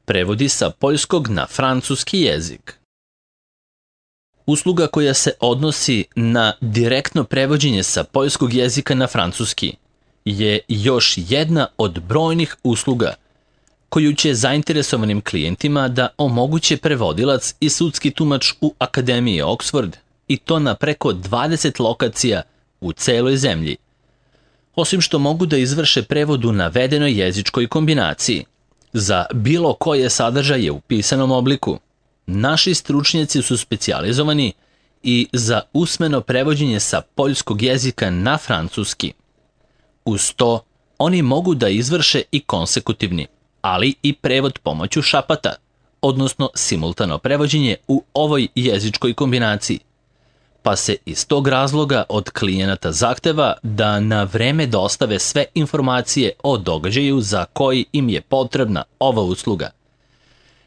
prevodi sa poljskog na francuski jezik. Usluga koja se odnosi na direktno prevođenje sa poljskog jezika na francuski je još jedna od brojnih usluga koju će zainteresovanim klijentima da omoguće prevodilac i sudski tumač u Akademiji Oxford, i to na preko 20 lokacija u celoj zemlji. Osim što mogu da izvrše prevod u navedenoj jezičkoj kombinaciji za bilo koje sadržaje u pisanom obliku, naši stručnjaci su specijalizovani i za usmeno prevođenje sa poljskog jezika na francuski. Uz to, oni mogu da izvrše i konsekutivni, ali i prevod pomoću šapata, odnosno simultano prevođenje u ovoj jezičkoj kombinaciji, pa se iz tog razloga od klijenata zahteva da na vreme dostave sve informacije o događaju za koji im je potrebna ova usluga,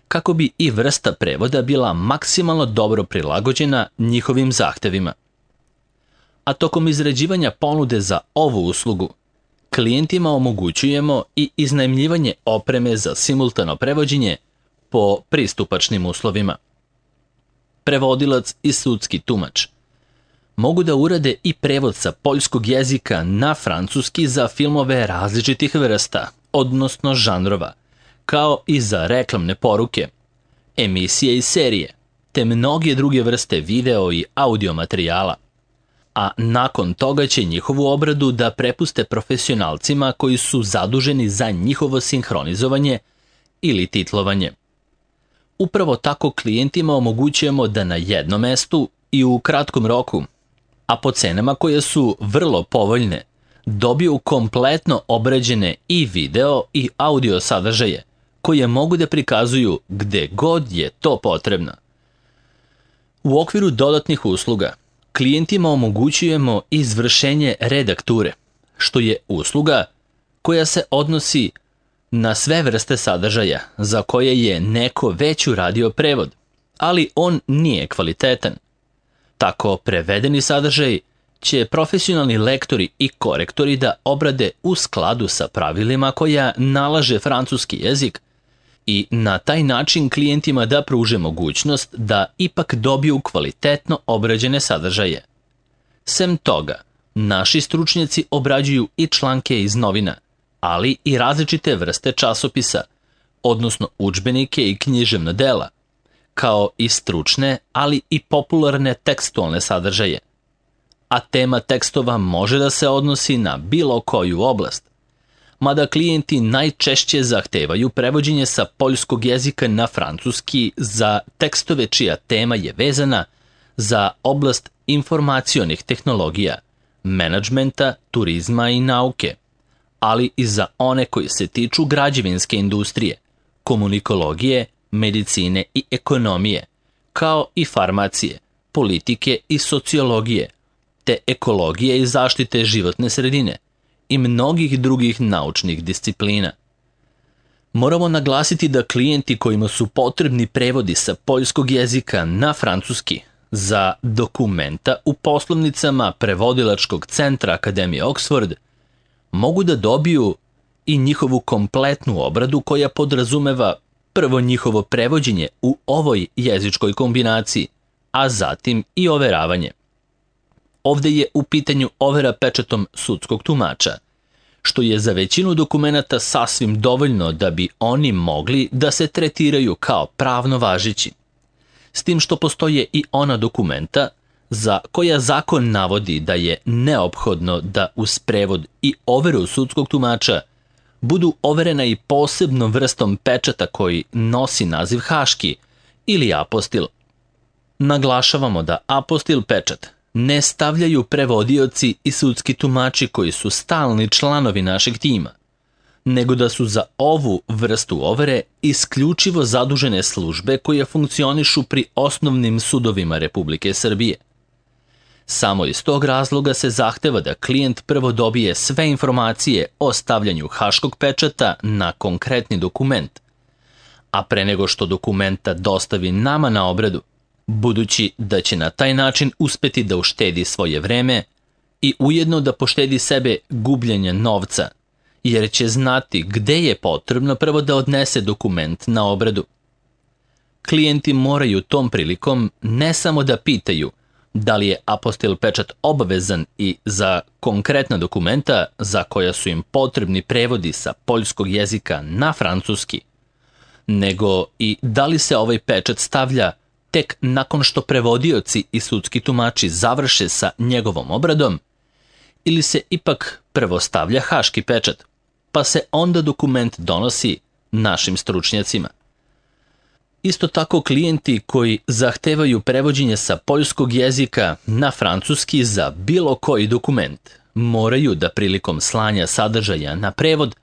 kako bi i vrsta prevoda bila maksimalno dobro prilagođena njihovim zahtevima. A tokom izrađivanja ponude za ovu uslugu, klijentima omogućujemo i iznajmljivanje opreme za simultano prevođenje po pristupačnim uslovima. Prevodilac i sudski tumač mogu da urade i prevod sa poljskog jezika na francuski za filmove različitih vrsta, odnosno žanrova, kao i za reklamne poruke, emisije i serije, te mnoge druge vrste video i audio materijala. A nakon toga će njihovu obradu da prepuste profesionalcima koji su zaduženi za njihovo sinhronizovanje ili titlovanje. Upravo tako klijentima omogućujemo da na jednom mestu i u kratkom roku, a po cenama koje su vrlo povoljne, dobiju kompletno obrađene i video i audio sadržaje koje mogu da prikazuju gde god je to potrebno. U okviru dodatnih usluga, klijentima omogućujemo izvršenje redakture, što je usluga koja se odnosi na sve vrste sadržaja za koje je neko već uradio prevod, ali on nije kvalitetan. Tako prevedeni sadržaj će profesionalni lektori i korektori da obrade u skladu sa pravilima koja nalaže francuski jezik i na taj način klijentima da pruže mogućnost da ipak dobiju kvalitetno obrađene sadržaje. Sem toga, naši stručnjaci obrađuju i članke iz novina, ali i različite vrste časopisa, odnosno udžbenike i književna dela, kao i stručne, ali i popularne tekstualne sadržaje. A tema tekstova može da se odnosi na bilo koju oblast, mada klijenti najčešće zahtevaju prevođenje sa poljskog jezika na francuski za tekstove čija tema je vezana za oblast informacionih tehnologija, menadžmenta, turizma i nauke, ali i za one koji se tiču građevinske industrije, komunikologije, medicine i ekonomije, kao i farmacije, politike i sociologije, te ekologije i zaštite životne sredine i mnogih drugih naučnih disciplina. Moramo naglasiti da klijenti kojima su potrebni prevodi sa poljskog jezika na francuski za dokumenta u poslovnicama prevodilačkog centra Akademije Oxford mogu da dobiju i njihovu kompletnu obradu koja podrazumeva prvo njihovo prevođenje u ovoj jezičkoj kombinaciji, a zatim i overavanje. Ovde je u pitanju overa pečatom sudskog tumača, što je za većinu dokumenata sasvim dovoljno da bi oni mogli da se tretiraju kao pravno važeći. S tim što postoje i ona dokumenta za koja zakon navodi da je neophodno da uz prevod i overu sudskog tumača budu overena i posebnom vrstom pečata koji nosi naziv haški ili apostil. Naglašavamo da apostil pečat ne stavljaju prevodioci i sudski tumači koji su stalni članovi našeg tima, nego da su za ovu vrstu overe isključivo zadužene službe koje funkcionišu pri osnovnim sudovima Republike Srbije. Samo iz tog razloga se zahteva da klijent prvo dobije sve informacije o stavljanju haškog pečata na konkretni dokument, a pre nego što dokumenta dostavi nama na obradu, budući da će na taj način uspeti da uštedi svoje vreme i ujedno da poštedi sebe gubljenja novca, jer će znati gde je potrebno prvo da odnese dokument na obradu. Klijenti moraju tom prilikom ne samo da pitaju da li je apostil pečat obavezan i za konkretna dokumenta za koja su im potrebni prevodi sa poljskog jezika na francuski, nego i da li se ovaj pečat stavlja tek nakon što prevodioci i sudski tumači završe sa njegovom obradom, ili se ipak prvo stavlja haški pečat, pa se onda dokument donosi našim stručnjacima. Isto tako klijenti koji zahtevaju prevođenje sa poljskog jezika na francuski za bilo koji dokument moraju da prilikom slanja sadržaja na prevod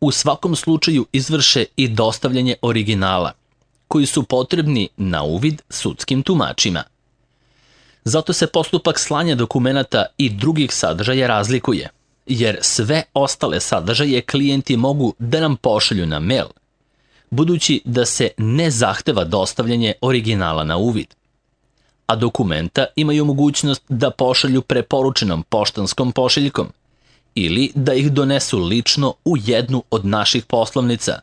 u svakom slučaju izvrše i dostavljanje originala, koji su potrebni na uvid sudskim tumačima. Zato se postupak slanja dokumenata i drugih sadržaja razlikuje, jer sve ostale sadržaje klijenti mogu da nam pošalju na mail, budući da se ne zahteva dostavljanje originala na uvid, a dokumenta imaju mogućnost da pošalju preporučenom poštanskom pošiljkom ili da ih donesu lično u jednu od naših poslovnica,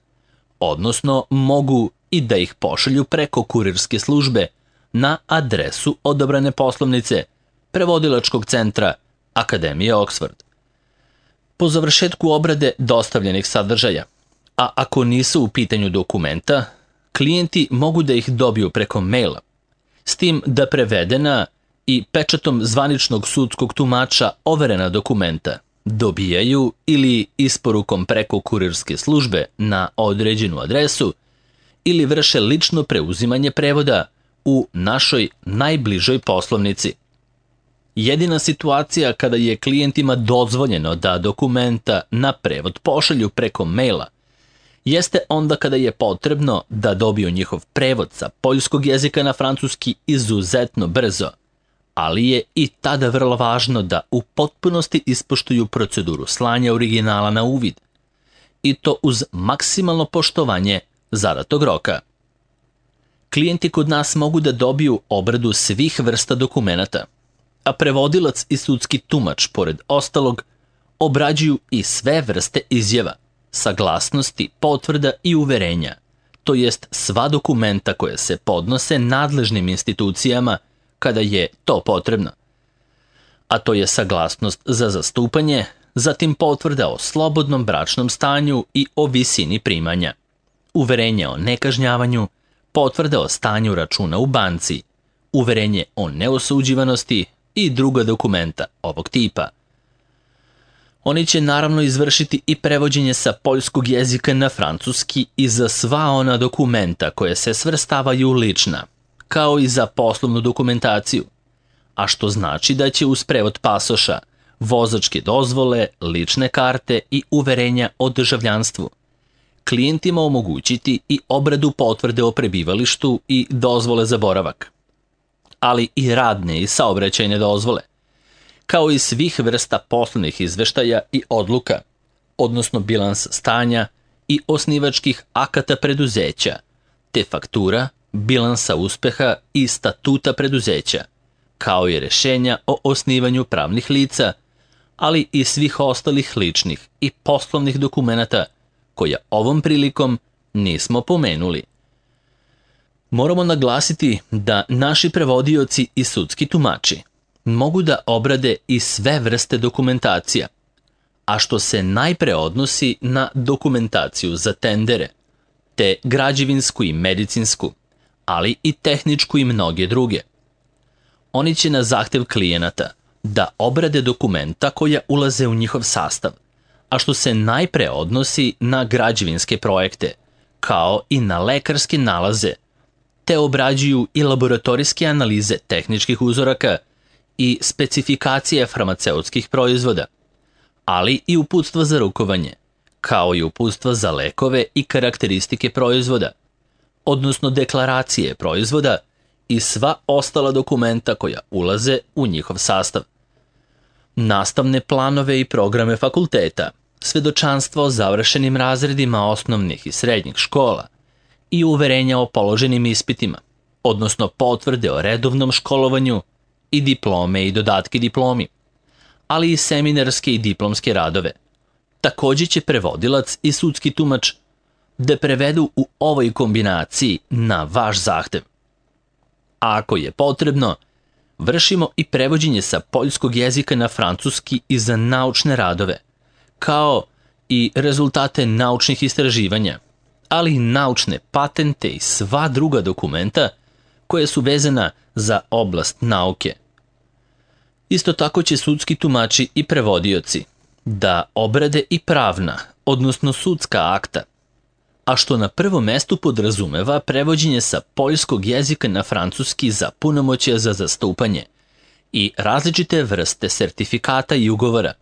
odnosno mogu i da ih pošalju preko kurirske službe na adresu odabrane poslovnice Prevodilačkog centra Akademije Oxford. Po završetku obrade dostavljenih sadržaja, a ako nisu u pitanju dokumenta, klijenti mogu da ih dobiju preko maila, s tim da prevedena i pečatom zvaničnog sudskog tumača overena dokumenta dobijaju ili isporukom preko kurirske službe na određenu adresu ili vrše lično preuzimanje prevoda u našoj najbližoj poslovnici. Jedina situacija kada je klijentima dozvoljeno da dokumenta na prevod pošalju preko maila jeste onda kada je potrebno da dobiju njihov prevod sa poljskog jezika na francuski izuzetno brzo, ali je i tada vrlo važno da u potpunosti ispoštuju proceduru slanja originala na uvid, i to uz maksimalno poštovanje zadatog roka. Klijenti kod nas mogu da dobiju obradu svih vrsta dokumenata, a prevodilac i sudski tumač, pored ostalog, obrađuju i sve vrste izjava, saglasnosti, potvrda i uverenja, to jest sva dokumenta koje se podnose nadležnim institucijama kada je to potrebno. A to je saglasnost za zastupanje, zatim potvrda o slobodnom bračnom stanju i o visini primanja, uverenje o nekažnjavanju, potvrda o stanju računa u banci, uverenje o neosuđivanosti i druga dokumenta ovog tipa. Oni će naravno izvršiti i prevođenje sa poljskog jezika na francuski i za sva ona dokumenta koje se svrstavaju lična, kao i za poslovnu dokumentaciju, a što znači da će uz prevod pasoša, vozačke dozvole, lične karte i uverenja o državljanstvu klijentima omogućiti i obradu potvrde o prebivalištu i dozvole za boravak, ali i radne i saobraćajne dozvole, kao i svih vrsta poslovnih izveštaja i odluka, odnosno bilans stanja i osnivačkih akata preduzeća, te faktura, bilansa uspeha i statuta preduzeća, kao i rešenja o osnivanju pravnih lica, ali i svih ostalih ličnih i poslovnih dokumenata koja ovom prilikom nismo pomenuli. Moramo naglasiti da naši prevodioci i sudski tumači mogu da obrade i sve vrste dokumentacija, a što se najpre odnosi na dokumentaciju za tendere, te građevinsku i medicinsku, ali i tehničku i mnoge druge. Oni će na zahtev klijenata da obrade dokumenta koja ulaze u njihov sastav, a što se najpre odnosi na građevinske projekte, kao i na lekarske nalaze, te obrađuju i laboratorijske analize tehničkih uzoraka i specifikacije farmaceutskih proizvoda, ali i uputstva za rukovanje, kao i uputstva za lekove i karakteristike proizvoda, odnosno deklaracije proizvoda i sva ostala dokumenta koja ulaze u njihov sastav. Nastavne planove i programe fakulteta, svedočanstva o završenim razredima osnovnih i srednjih škola i uverenja o položenim ispitima, odnosno potvrde o redovnom školovanju i diplome i dodatke diplomi, ali i seminarske i diplomske radove, Takođe će prevodilac i sudski tumač da prevedu u ovoj kombinaciji na vaš zahtev. A ako je potrebno, vršimo i prevođenje sa poljskog jezika na francuski i za naučne radove, kao i rezultate naučnih istraživanja, ali i naučne patente i sva druga dokumenta koja su vezana za oblast nauke. Isto tako će sudski tumači i prevodioci da obrade i pravna, odnosno sudska akta, a što na prvom mestu podrazumeva prevođenje sa poljskog jezika na francuski za punomoćje za zastupanje i različite vrste sertifikata i ugovora,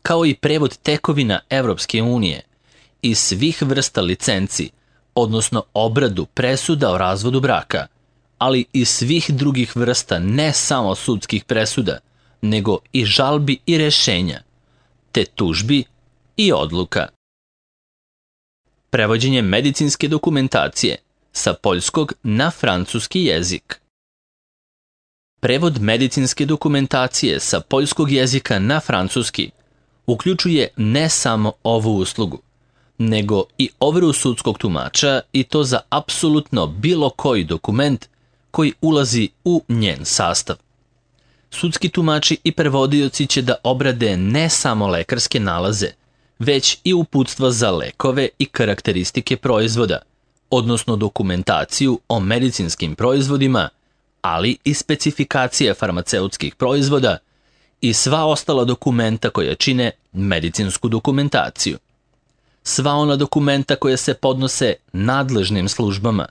kao i prevod tekovina Evropske unije i svih vrsta licenci, odnosno obradu presuda o razvodu braka, ali i svih drugih vrsta ne samo sudskih presuda, nego i žalbi i rešenja, te tužbi i odluka. Prevođenje medicinske dokumentacije sa poljskog na francuski jezik. Prevod medicinske dokumentacije sa poljskog jezika na francuski uključuje ne samo ovu uslugu, nego i overu sudskog tumača i to za apsolutno bilo koji dokument koji ulazi u njen sastav. Sudski tumači i prevodioci će da obrade ne samo lekarske nalaze, već i uputstva za lekove i karakteristike proizvoda, odnosno dokumentaciju o medicinskim proizvodima, ali i specifikacije farmaceutskih proizvoda i sva ostala dokumenta koja čine medicinsku dokumentaciju. Sva ona dokumenta koja se podnose nadležnim službama,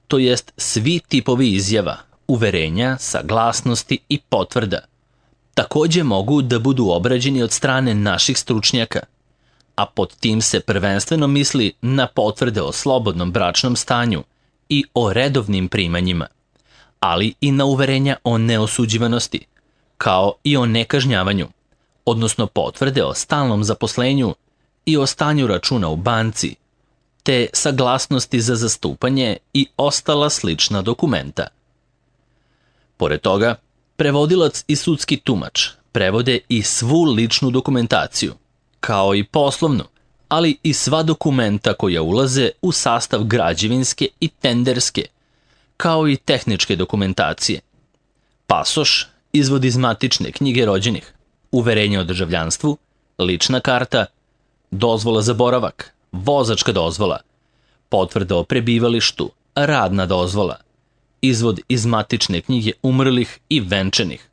to jest svi tipovi izjava, uverenja, saglasnosti i potvrda, takođe mogu da budu obrađeni od strane naših stručnjaka, a pod tim se prvenstveno misli na potvrde o slobodnom bračnom stanju i o redovnim primanjima, ali i na uverenja o neosuđivanosti, kao i o nekažnjavanju, odnosno potvrde o stalnom zaposlenju i o stanju računa u banci, te saglasnosti za zastupanje i ostala slična dokumenta. Pored toga, prevodilac i sudski tumač prevode i svu ličnu dokumentaciju, kao i poslovnu, ali i sva dokumenta koja ulaze u sastav građevinske i tenderske, kao i tehničke dokumentacije. Pasoš, izvod iz matične knjige rođenih, uverenje o državljanstvu, lična karta, dozvola za boravak, vozačka dozvola, potvrda o prebivalištu, radna dozvola, izvod iz matične knjige umrlih i venčanih,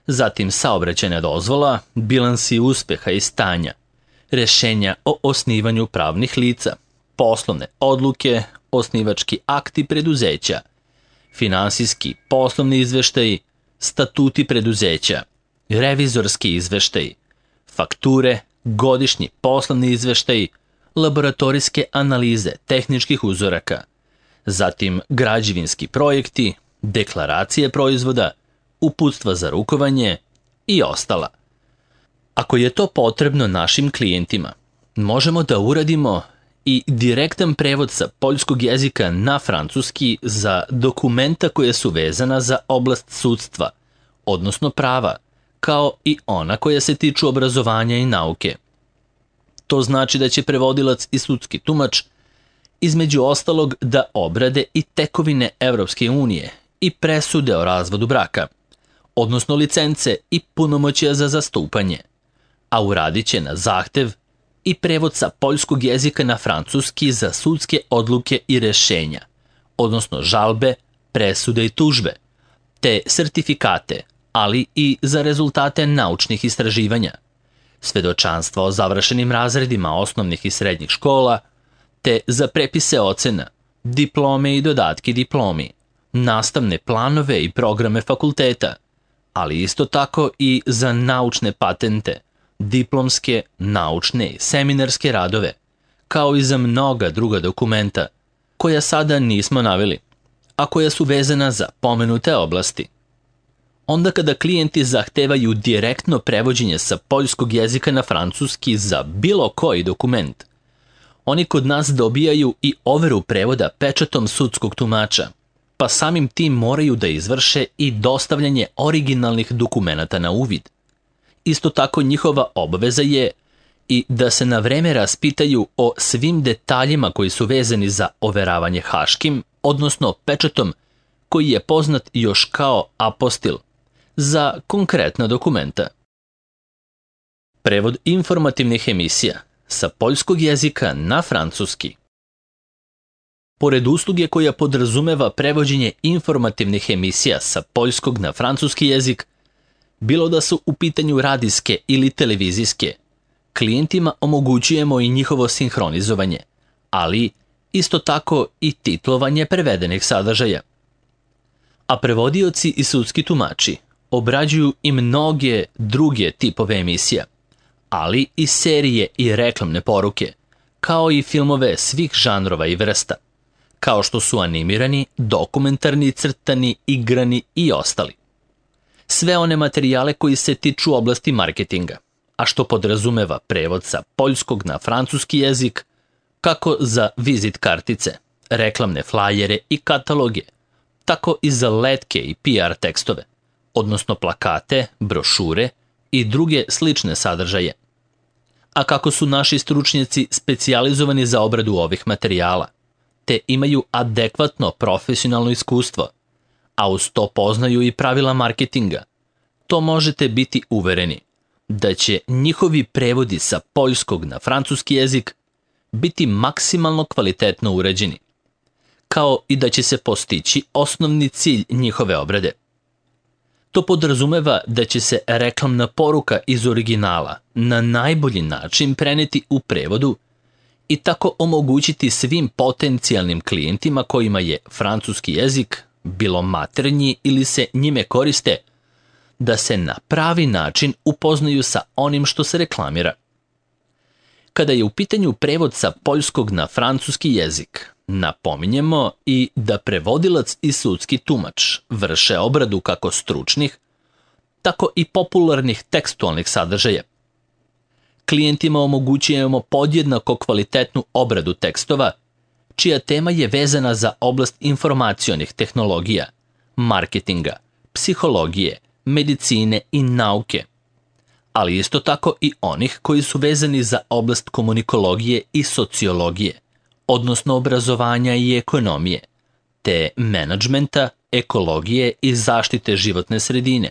zatim saobraćajna dozvola, bilansi uspeha i stanja, rešenja o osnivanju pravnih lica, poslovne odluke, osnivački akti preduzeća, finansijski poslovni izveštaji, statuti preduzeća, revizorski izveštaji, fakture, godišnji poslovni izveštaji, laboratorijske analize tehničkih uzoraka, zatim građevinski projekti, deklaracije proizvoda, uputstva za rukovanje i ostala. Ako je to potrebno našim klijentima, možemo da uradimo i direktan prevod sa poljskog jezika na francuski za dokumenta koje su vezana za oblast sudstva, odnosno prava, kao i ona koja se tiču obrazovanja i nauke. To znači da će prevodilac i sudski tumač između ostalog da obrade i tekovine Evropske unije i presude o razvodu braka, odnosno licence i punomoćja za zastupanje, a uradit će na zahtev i prevod sa poljskog jezika na francuski za sudske odluke i rešenja, odnosno žalbe, presude i tužbe, te sertifikate, ali i za rezultate naučnih istraživanja, svedočanstva o završenim razredima osnovnih i srednjih škola, te za prepise ocena, diplome i dodatke diplomi, nastavne planove i programe fakulteta, ali isto tako i za naučne patente, diplomske, naučne i seminarske radove, kao i za mnoga druga dokumenta, koja sada nismo naveli, a koja su vezana za pomenute oblasti. Onda kada klijenti zahtevaju direktno prevođenje sa poljskog jezika na francuski za bilo koji dokument, oni kod nas dobijaju i overu prevoda pečatom sudskog tumača, pa samim tim moraju da izvrše i dostavljanje originalnih dokumenata na uvid. Isto tako njihova obaveza je i da se na vreme raspitaju o svim detaljima koji su vezani za overavanje haškim, odnosno pečatom, koji je poznat još kao apostil, za konkretna dokumenta. Prevod informativnih emisija sa poljskog jezika na francuski. Pored usluge koja podrazumeva prevođenje informativnih emisija sa poljskog na francuski jezik, bilo da su u pitanju radijske ili televizijske, klijentima omogućujemo i njihovo sinhronizovanje, ali isto tako i titlovanje prevedenih sadržaja. A prevodioci i sudski tumači obrađuju i mnoge druge tipove emisija, ali i serije i reklamne poruke, kao i filmove svih žanrova i vrsta, kao što su animirani, dokumentarni, crtani, igrani i ostali. Sve one materijale koji se tiču oblasti marketinga, a što podrazumeva prevod sa poljskog na francuski jezik, kako za vizit kartice, reklamne flajere i kataloge, tako i za letke i PR tekstove, odnosno plakate, brošure i druge slične sadržaje. A kako su naši stručnjaci specijalizovani za obradu ovih materijala, te imaju adekvatno profesionalno iskustvo, a uz to poznaju i pravila marketinga, to možete biti uvereni da će njihovi prevodi sa poljskog na francuski jezik biti maksimalno kvalitetno urađeni, kao i da će se postići osnovni cilj njihove obrade. To podrazumeva da će se reklamna poruka iz originala na najbolji način preneti u prevodu i tako omogućiti svim potencijalnim klijentima kojima je francuski jezik, bilo maternji ili se njime koriste, da se na pravi način upoznaju sa onim što se reklamira. Kada je u pitanju prevod sa poljskog na francuski jezik, napominjemo i da prevodilac i sudski tumač vrše obradu kako stručnih, tako i popularnih tekstualnih sadržaja. Klijentima omogućujemo podjednako kvalitetnu obradu tekstova, čija tema je vezana za oblast informacionih tehnologija, marketinga, psihologije, medicine i nauke, ali isto tako i onih koji su vezani za oblast komunikologije i sociologije, odnosno obrazovanja i ekonomije, te menadžmenta, ekologije i zaštite životne sredine,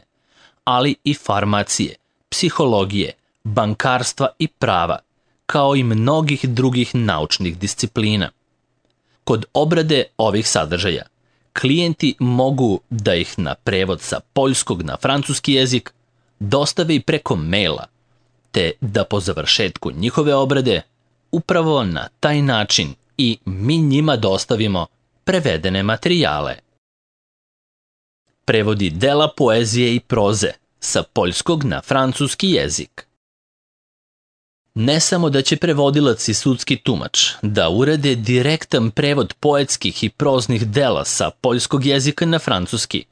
ali i farmacije, psihologije, bankarstva i prava, kao i mnogih drugih naučnih disciplina. Kod obrade ovih sadržaja, klijenti mogu da ih na prevod sa poljskog na francuski jezik dostave i preko maila, te da po završetku njihove obrade upravo na taj način i mi njima dostavimo prevedene materijale. Prevodi dela poezije i proze sa poljskog na francuski jezik. Ne samo da će prevodilac i sudski tumač da urade direktan prevod poetskih i proznih dela sa poljskog jezika na francuski,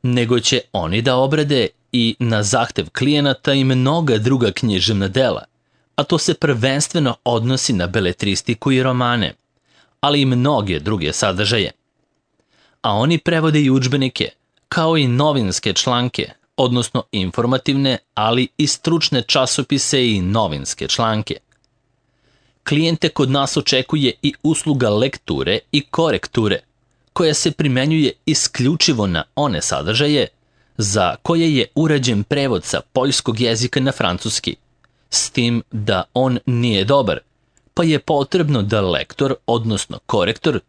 nego će oni da obrade i na zahtev klijenata i mnoga druga književna dela, a to se prvenstveno odnosi na beletristiku i romane, ali i mnoge druge sadržaje. A oni prevode i udžbenike, kao i novinske članke, odnosno informativne, ali i stručne časopise i novinske članke. Klijente kod nas očekuje i usluga lekture i korekture, koja se primenjuje isključivo na one sadržaje za koje je urađen prevod sa poljskog jezika na francuski, s tim da on nije dobar, pa je potrebno da lektor, odnosno korektor,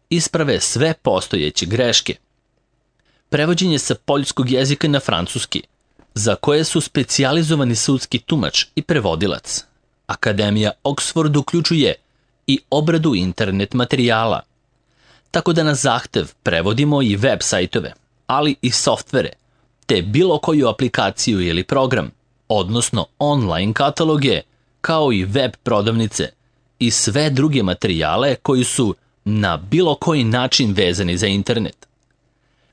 isprave sve postojeće greške. Prevođenje sa poljskog jezika na francuski, za koje su specijalizovani sudski tumač i prevodilac. Akademija Oxford uključuje i obradu internet materijala, tako da na zahtev prevodimo i web sajtove, ali i softvere, te bilo koju aplikaciju ili program, odnosno online kataloge, kao i web prodavnice i sve druge materijale koji su na bilo koji način vezani za internet.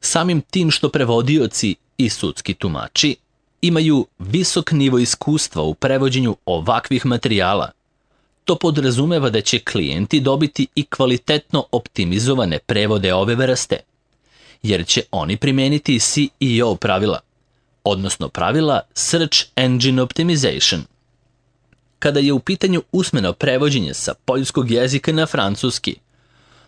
Samim tim što prevodioci i sudski tumači imaju visok nivo iskustva u prevođenju ovakvih materijala, to podrazumeva da će klijenti dobiti i kvalitetno optimizovane prevode ove vrste, jer će oni primeniti SEO pravila, odnosno pravila Search Engine Optimization. kada je u pitanju usmeno prevođenje sa poljskog jezika na francuski.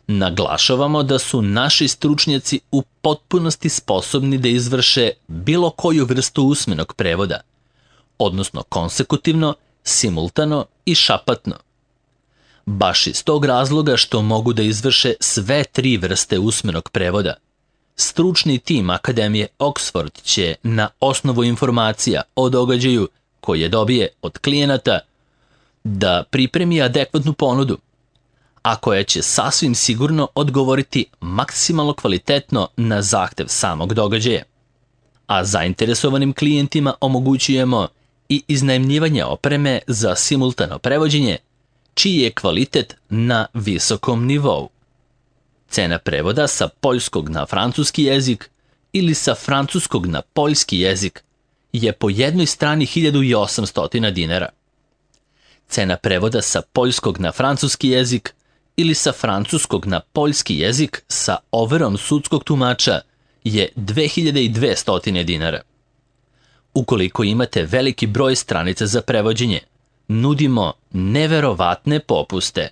Naglašavamo da su naši stručnjaci u potpunosti sposobni da izvrše bilo koju vrstu usmenog prevoda, odnosno konsekutivno, simultano i šapatno. Baš iz tog razloga što mogu da izvrše sve 3 vrste usmenog prevoda, stručni tim Akademije Oxford će na osnovu informacija o događaju koje dobije od klijenata da pripremi adekvatnu ponudu, a koja će sasvim sigurno odgovoriti maksimalno kvalitetno na zahtev samog događaja. A zainteresovanim klijentima omogućujemo i iznajmljivanje opreme za simultano prevođenje, čiji je kvalitet na visokom nivou. Cena prevoda sa poljskog na francuski jezik ili sa francuskog na poljski jezik je po jednoj strani 1800 dinara. Cena prevoda sa poljskog na francuski jezik ili sa francuskog na poljski jezik sa overom sudskog tumača je 2200 dinara. Ukoliko imate veliki broj stranica za prevođenje, nudimo neverovatne popuste.